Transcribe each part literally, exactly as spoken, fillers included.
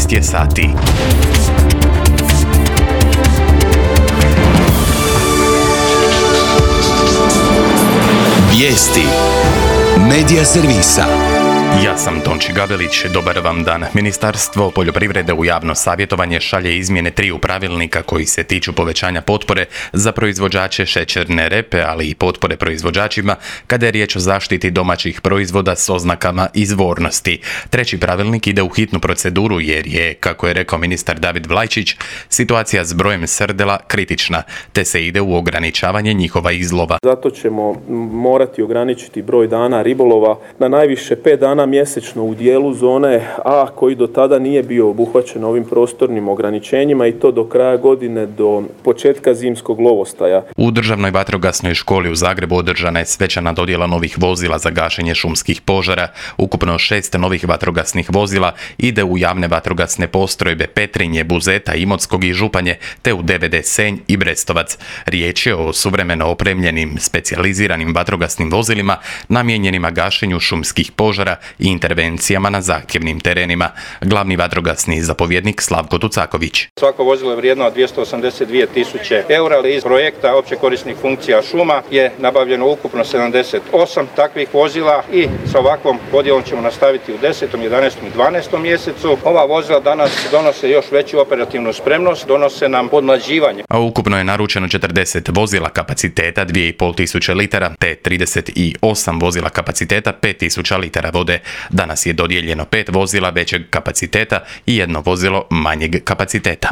šest je sati. Vijesti Medija servisa. Ja sam Tonči Gabelić, dobar vam dan. Ministarstvo poljoprivrede u javno savjetovanje šalje izmjene triju pravilnika koji se tiču povećanja potpore za proizvođače šećerne repe, ali i potpore proizvođačima kada je riječ o zaštiti domaćih proizvoda s oznakama izvornosti. Treći pravilnik ide u hitnu proceduru jer je, kako je rekao ministar David Vlajčić, situacija s brojem srdela kritična, te se ide u ograničavanje njihova izlova. Zato ćemo morati ograničiti broj dana ribolova na najviše pet dana mjesečno u dijelu zone A koji do tada nije bio obuhvaćen ovim prostornim ograničenjima i to do kraja godine, do početka zimskog lovostaja. U Državnoj vatrogasnoj školi u Zagrebu održana je svečana dodjela novih vozila za gašenje šumskih požara. Ukupno šest novih vatrogasnih vozila ide u javne vatrogasne postrojbe Petrinje, Buzeta, Imotskog i Županje, te u D V D Senj i Brestovac. Riječ je o suvremeno opremljenim, specijaliziranim vatrogasnim vozilima namijenjenima gašenju šumskih požara i intervencijama na zahtjevnim terenima. Glavni vatrogasni zapovjednik Slavko Tucaković. Svako vozilo je vrijedno dvjesto osamdeset dvije tisuće eura, ali iz projekta opće korisnih funkcija šuma je nabavljeno ukupno sedamdeset osam takvih vozila i sa ovakvom podjelom ćemo nastaviti u desetom, jedanaestom i dvanaestom mjesecu. Ova vozila danas donose još veću operativnu spremnost, donose nam podmlađivanje. A ukupno je naručeno četrdeset vozila kapaciteta dvije i pol tisuće litara, te trideset osam vozila kapaciteta pet tisuća litara vode. Danas je dodijeljeno pet vozila većeg kapaciteta i jedno vozilo manjeg kapaciteta.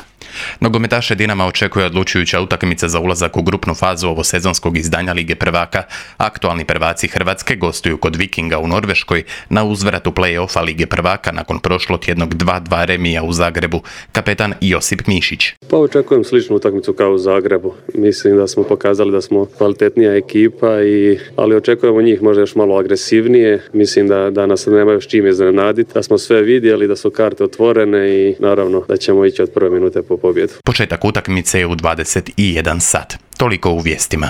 Nogometaše Dinama očekuje odlučujuća utakmica za ulazak u grupnu fazu ovosezonskog izdanja Lige prvaka. Aktualni prvaci Hrvatske gostuju kod Vikinga u Norveškoj na uzvratu play-offa Lige prvaka nakon prošlotjednog dva dva remija u Zagrebu. Kapetan Josip Mišić. Pa očekujem sličnu utakmicu kao u Zagrebu. Mislim da smo pokazali da smo kvalitetnija ekipa, i, ali očekujemo njih možda još malo agresivnije. Mislim da, da nas nemaju s čim iznenaditi, da smo sve vidjeli, da su karte otvorene i naravno da ćemo ići od prve minute po pobjedu. Početak utakmice je u dvadeset jedan sat. Toliko u vijestima.